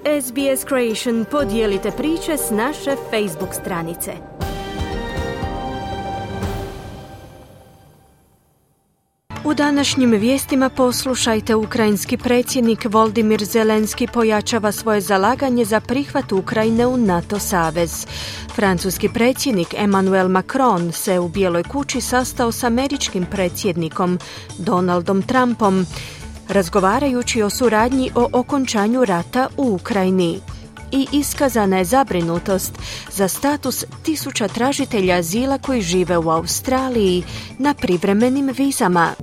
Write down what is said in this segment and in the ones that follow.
SBS Creation, podijelite priče s naše Facebook stranice. U današnjim vijestima poslušajte, ukrajinski predsjednik Volodymyr Zelenski pojačava svoje zalaganje za prihvat Ukrajine u NATO savez. Francuski predsjednik Emmanuel Macron se u Bijeloj kući sastao s američkim predsjednikom Donaldom Trumpom, razgovarajući o suradnji o okončanju rata u Ukrajini. I iskazana je zabrinutost za status 1000 tražitelja azila koji žive u Australiji na privremenim vizama.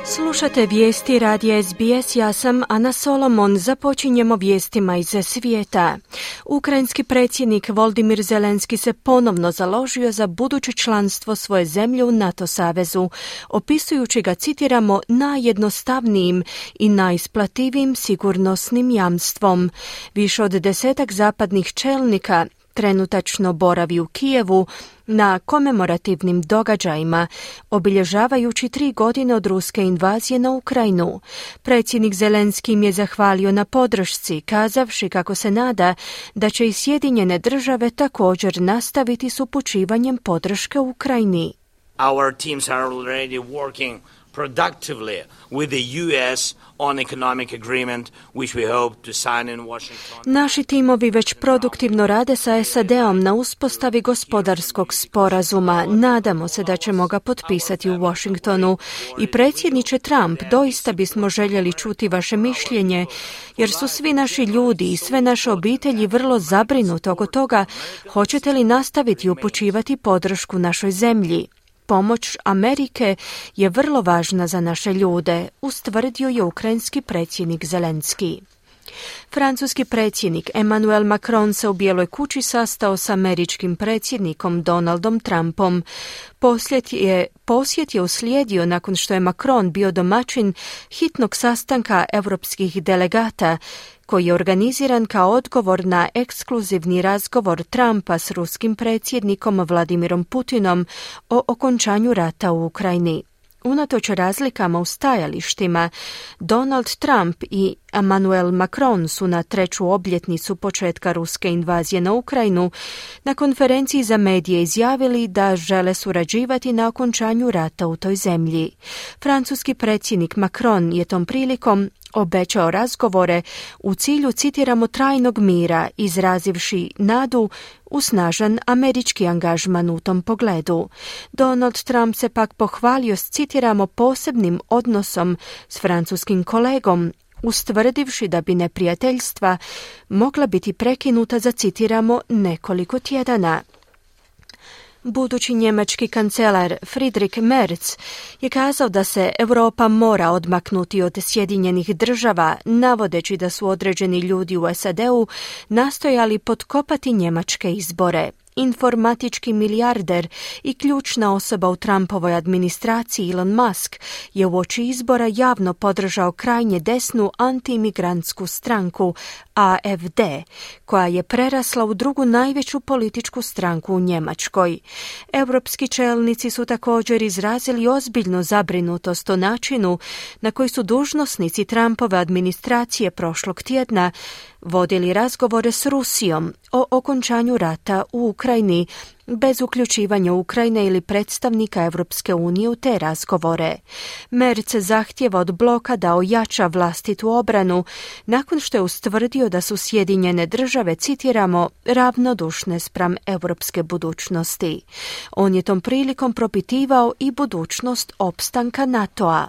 Slušate vijesti radija SBS, ja sam Ana Solomon. Započinjemo vijestima iz svijeta. Ukrajinski predsjednik Volodymyr Zelenski se ponovno založio za buduće članstvo svoje zemlje u NATO savezu, opisujući ga, citiramo, najjednostavnijim i najisplativijim sigurnosnim jamstvom. Više od 10 zapadnih čelnika trenutačno boravi u Kijevu na komemorativnim događajima, obilježavajući 3 godine od ruske invazije na Ukrajinu. Predsjednik Zelenski im je zahvalio na podršci, kazavši kako se nada da će i Sjedinjene države također nastaviti s upućivanjem podrške Ukrajini. Our teams are already working productively with the US on economic agreement which we hope to sign in Washington. Naši timovi već produktivno rade sa SAD-om na uspostavi gospodarskog sporazuma. Nadamo se da ćemo ga potpisati u Washingtonu. I predsjedniče Trump, doista bismo željeli čuti vaše mišljenje, jer su svi naši ljudi i sve naše obitelji vrlo zabrinuti oko toga hoćete li nastaviti upućivati podršku našoj zemlji. Pomoć Amerike je vrlo važna za naše ljude, ustvrdio je ukrajinski predsjednik Zelenski. Francuski predsjednik Emmanuel Macron se u Bijeloj kući sastao s američkim predsjednikom Donaldom Trumpom. Posjet je uslijedio nakon što je Macron bio domaćin hitnog sastanka europskih delegata, koji je organiziran kao odgovor na ekskluzivni razgovor Trumpa s ruskim predsjednikom Vladimirom Putinom o okončanju rata u Ukrajini. Unatoč razlikama u stajalištima, Donald Trump i Emmanuel Macron su na 3. obljetnicu početka ruske invazije na Ukrajinu na konferenciji za medije izjavili da žele surađivati na okončanju rata u toj zemlji. Francuski predsjednik Macron je tom prilikom obećao razgovore u cilju, citiramo, trajnog mira, izrazivši nadu u snažan američki angažman u tom pogledu. Donald Trump se pak pohvalio s, citiramo, posebnim odnosom s francuskim kolegom, ustvrdivši da bi neprijateljstva mogla biti prekinuta za, citiramo, nekoliko tjedana. Budući njemački kancelar Friedrich Merz je kazao da se Europa mora odmaknuti od Sjedinjenih država, navodeći da su određeni ljudi u SAD-u nastojali potkopati njemačke izbore. Informatički milijarder i ključna osoba u Trumpovoj administraciji Elon Musk je uoči izbora javno podržao krajnje desnu antiimigrantsku stranku AfD, koja je prerasla u drugu najveću političku stranku u Njemačkoj. Europski čelnici su također izrazili ozbiljnu zabrinutost o načinu na koji su dužnosnici Trumpove administracije prošlog tjedna vodili razgovore s Rusijom o okončanju rata u Ukrajini, bez uključivanja Ukrajine ili predstavnika Europske unije u te razgovore. Merz zahtjeva od bloka da ojača vlastitu obranu, nakon što je ustvrdio da su Sjedinjene države, citiramo, ravnodušne spram europske budućnosti. On je tom prilikom propitivao i budućnost opstanka NATO-a.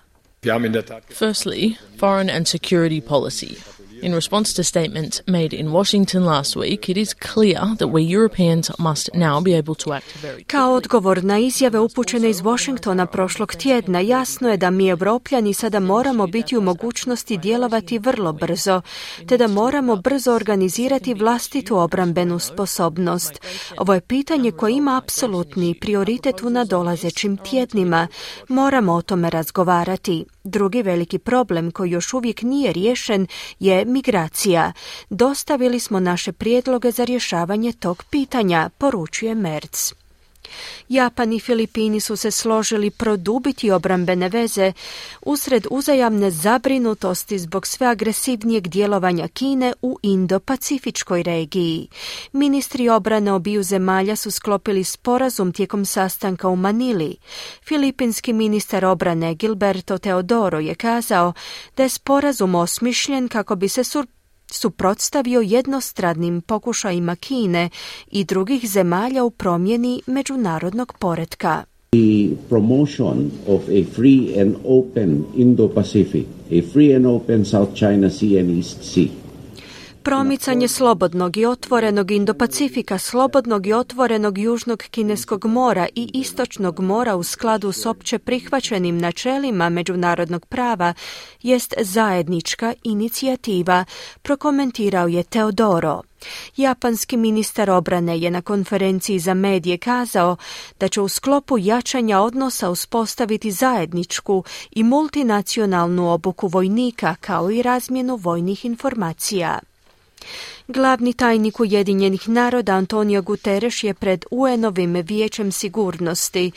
Firstly, foreign and security policy. In response to statements made in Washington last week, it is clear that we Europeans must now be able to act very. Kao odgovor na izjave upućene iz Washingtona prošlog tjedna, jasno je da mi Europljani sada moramo biti u mogućnosti djelovati vrlo brzo, te da moramo brzo organizirati vlastitu obrambenu sposobnost. Ovo je pitanje koje ima apsolutni prioritet u nadolazećim tjednima. Moramo o tome razgovarati. Drugi veliki problem koji još uvijek nije riješen je migracija. Dostavili smo naše prijedloge za rješavanje tog pitanja, poručuje Merz. Japan i Filipini su se složili produbiti obrambene veze usred uzajamne zabrinutosti zbog sve agresivnijeg djelovanja Kine u Indo-Pacifičkoj regiji. Ministri obrane obiju zemalja su sklopili sporazum tijekom sastanka u Manili. Filipinski ministar obrane Gilberto Teodoro je kazao da je sporazum osmišljen kako bi se suprotstavio jednostranim pokušajima Kine i drugih zemalja u promjeni međunarodnog poretka. The promotion of a free and open Indo-Pacific, a free and open South China Sea and East Sea. Promicanje slobodnog i otvorenog Indo-Pacifika, slobodnog i otvorenog Južnog Kineskog mora i Istočnog mora u skladu s opće prihvaćenim načelima međunarodnog prava jest zajednička inicijativa, prokomentirao je Teodoro. Japanski ministar obrane je na konferenciji za medije kazao da će u sklopu jačanja odnosa uspostaviti zajedničku i multinacionalnu obuku vojnika kao i razmjenu vojnih informacija. Glavni tajnik Ujedinjenih naroda Antonio Guterres je pred UN-ovim vijećem sigurnosti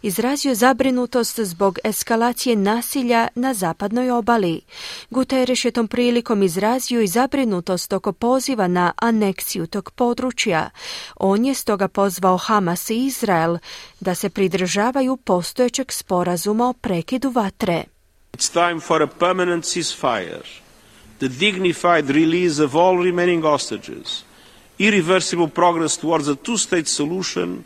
izrazio zabrinutost zbog eskalacije nasilja na zapadnoj obali. Guterres je tom prilikom izrazio i zabrinutost oko poziva na aneksiju tog područja. On je stoga pozvao Hamas i Izrael da se pridržavaju postojećeg sporazuma o prekidu vatre. It's time for a permanent ceasefire. The dignified release of all remaining hostages, irreversible progress towards a two-state solution.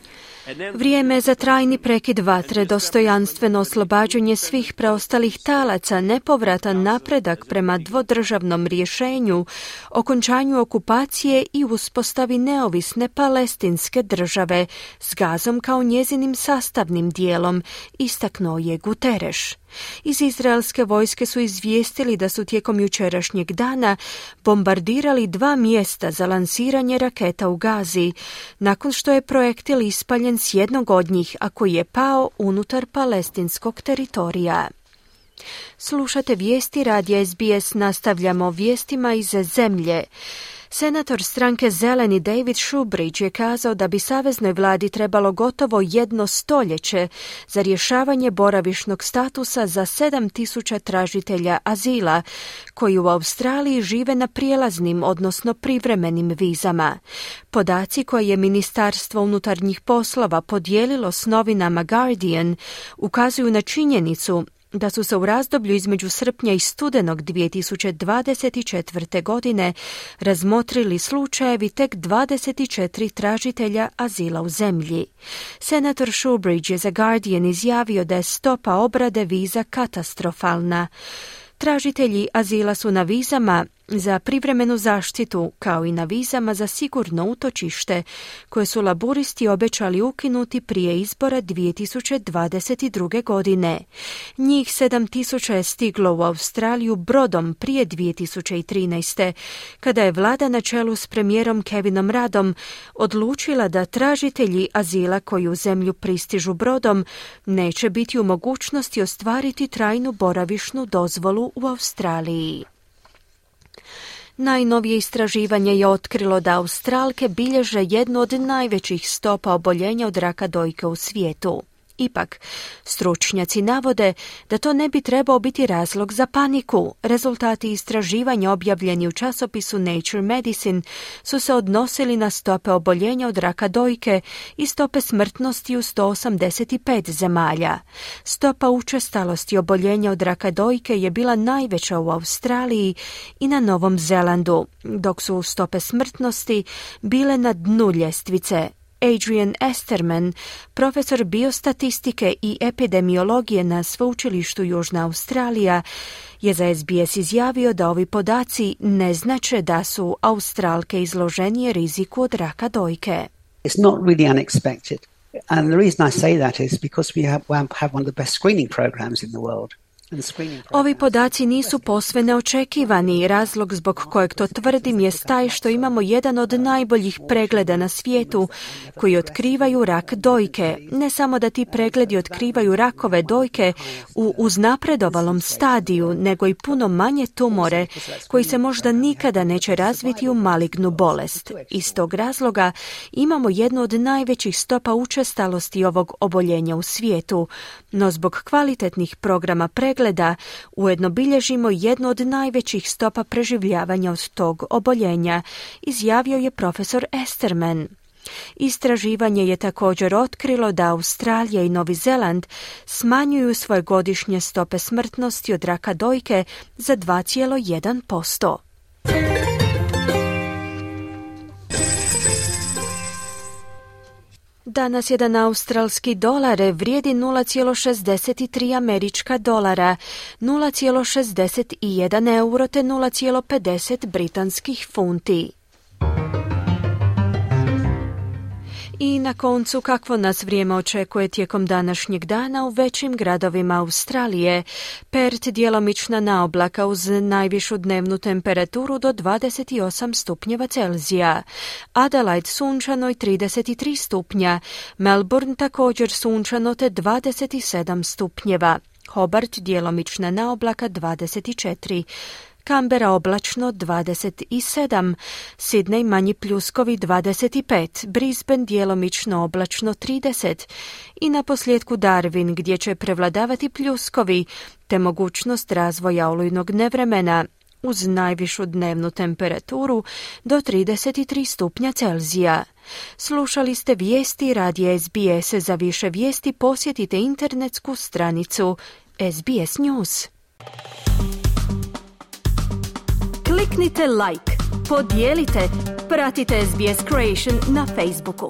Vrijeme je za trajni prekid vatre, dostojanstveno oslobađanje svih preostalih talaca, nepovratan napredak prema dvodržavnom rješenju, okončanju okupacije i uspostavi neovisne palestinske države s Gazom kao njezinim sastavnim dijelom, istaknuo je Guterres. Iz izraelske vojske su izvijestili da su tijekom jučerašnjeg dana bombardirali 2 mjesta za lansiranje raketa u Gazi, nakon što je projektil ispaljen s jednog od njih, a koji je pao unutar palestinskog teritorija. Slušate vijesti radija SBS, nastavljamo vijestima iz zemlje. Senator stranke Zeleni David Shoebridge je kazao da bi saveznoj vladi trebalo gotovo 1 stoljeće za rješavanje boravišnog statusa za 7.000 tražitelja azila koji u Australiji žive na prijelaznim, odnosno privremenim vizama. Podaci koje je Ministarstvo unutarnjih poslova podijelilo s novinama Guardian ukazuju na činjenicu da su se u razdoblju između srpnja i studenog 2024. godine razmotrili slučajevi tek 24 tražitelja azila u zemlji. Senator Shoebridge je za Guardian izjavio da je stopa obrade viza katastrofalna. Tražitelji azila su na vizama za privremenu zaštitu, kao i na vizama za sigurno utočište, koje su laburisti obećali ukinuti prije izbora 2022. godine. Njih 7.000 je stiglo u Australiju brodom prije 2013. kada je vlada na čelu s premijerom Kevinom Ruddom odlučila da tražitelji azila koji u zemlju pristižu brodom neće biti u mogućnosti ostvariti trajnu boravišnu dozvolu u Australiji. Najnovije istraživanje je otkrilo da Australke bilježe jednu od najvećih stopa oboljenja od raka dojke u svijetu. Ipak, stručnjaci navode da to ne bi trebao biti razlog za paniku. Rezultati istraživanja objavljeni u časopisu Nature Medicine su se odnosili na stope oboljenja od raka dojke i stope smrtnosti u 185 zemalja. Stopa učestalosti oboljenja od raka dojke je bila najveća u Australiji i na Novom Zelandu, dok su stope smrtnosti bile na dnu ljestvice. Adrian Esterman, profesor biostatistike i epidemiologije na Sveučilištu Južna Australija, je za SBS izjavio da ovi podaci ne znače da su Australke izloženije riziku od raka dojke. It's not really unexpected. And the reason I say that is because we have one of the best screening programs in the world. Ovi podaci nisu posve neočekivani. Razlog zbog kojeg to tvrdim je taj što imamo jedan od najboljih pregleda na svijetu koji otkrivaju rak dojke. Ne samo da ti pregledi otkrivaju rakove dojke u uznapredovalom stadiju, nego i puno manje tumore koji se možda nikada neće razviti u malignu bolest. Iz tog razloga imamo jednu od najvećih stopa učestalosti ovog oboljenja u svijetu, no zbog kvalitetnih programa pregleda ujedno bilježimo jednu od najvećih stopa preživljavanja od tog oboljenja, izjavio je profesor Esterman. Istraživanje je također otkrilo da Australija i Novi Zeland smanjuju svoje godišnje stope smrtnosti od raka dojke za 2,1%. Danas jedan australski dolar vrijedi 0,63 američka dolara, 0,61 euro te 0,50 britanskih funti. I na koncu, kakvo nas vrijeme očekuje tijekom današnjeg dana u većim gradovima Australije. Perth djelomična naoblaka uz najvišu dnevnu temperaturu do 28 stupnjeva Celzija. Adelaide sunčano i 33 stupnja. Melbourne također sunčano te 27 stupnjeva. Hobart djelomična naoblaka 24. Canberra oblačno 27, Sydney manji pljuskovi 25, Brisbane djelomično oblačno 30 i na posljedku Darwin gdje će prevladavati pljuskovi te mogućnost razvoja olujnog nevremena uz najvišu dnevnu temperaturu do 33 stupnja Celzija. Slušali ste vijesti radija SBS. Za više vijesti posjetite internetsku stranicu SBS News. Kliknite like, podijelite, pratite SBS Creation na Facebooku.